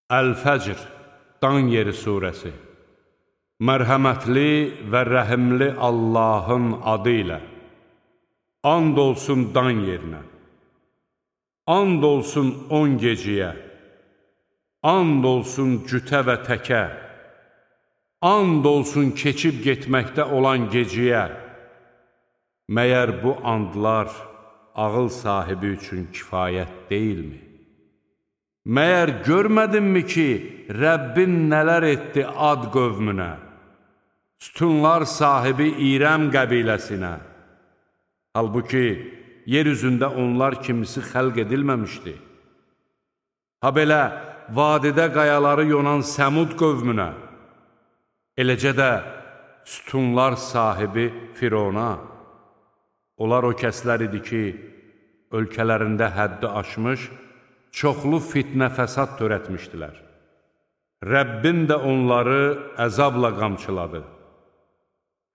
Əl-Fəcr, Dan yeri surəsi. Mərhəmətli və rəhimli Allahın adı ilə. And olsun Dan yerinə. And olsun 10 geciyə. And olsun cütə və təkə. And olsun keçib getməkdə olan geciyə. Məyər bu andlar ağıl sahibi üçün kifayət deyilmi? Məyər görmədinmi ki, Rəbbin nələr etdi Ad qövmünə, sütunlar sahibi İrəm qəbiləsinə? Halbuki, yer üzündə onlar kimisi xəlq edilməmişdi. Ha belə, vadidə qayaları yonan Səmud qövmünə, eləcə də sütunlar sahibi Firona. Onlar o kəslər idi ki, ölkələrində həddi aşmış, çoxlu fitnə fəsad törətmişdilər. Rəbbin də onları əzabla qamçıladı.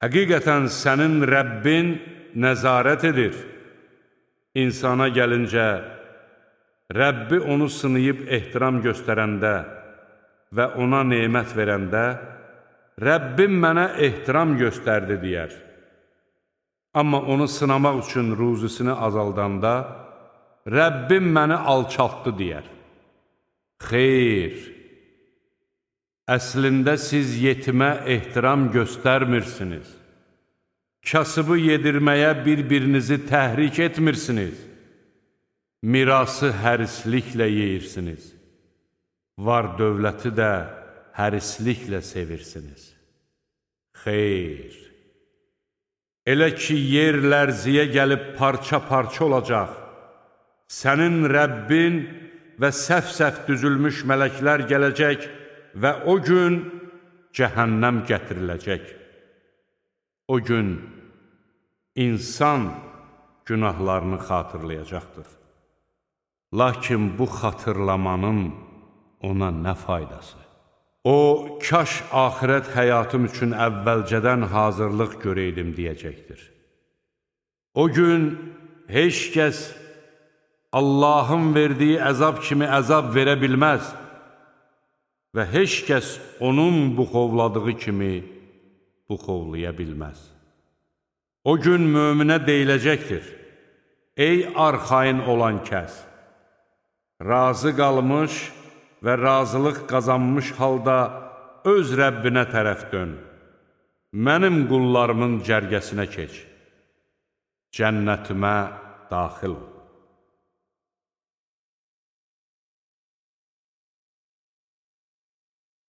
Həqiqətən sənin Rəbbin nəzarət edir. İnsana gəlincə, Rəbbi onu sınayıb ehtiram göstərəndə və ona nemət verəndə, Rəbbim mənə ehtiram göstərdi deyər. Amma onu sınamaq üçün ruzisini azaldanda, Rəbbim məni alçaltdı deyər. Xeyr, əslində siz yetimə ehtiram göstərmirsiniz. Kasıbı yedirməyə bir-birinizi təhrik etmirsiniz. Mirası hərisliklə yeyirsiniz. Var dövləti də hərisliklə sevirsiniz. Xeyr, elə ki, yer lərziyə gəlib parça-parça olacaq, sənin Rəbbin və səf-səf düzülmüş mələklər gələcək və o gün cəhənnəm gətiriləcək. O gün insan günahlarını xatırlayacaqdır. Lakin bu xatırlamanın ona nə faydası? O, kaş axirət həyatım üçün əvvəlcədən hazırlıq görəydim deyəcəkdir. O gün heç kəs Allahın verdiyi əzab kimi əzab verə bilməz və heç kəs onun buxovladığı kimi buxovlaya bilməz. O gün möminə deyiləcəkdir: ey arxayın olan kəs, razı qalmış və razılıq qazanmış halda öz Rəbbinə tərəf dön, mənim qullarımın cərgəsinə keç, cənnətimə daxil ol.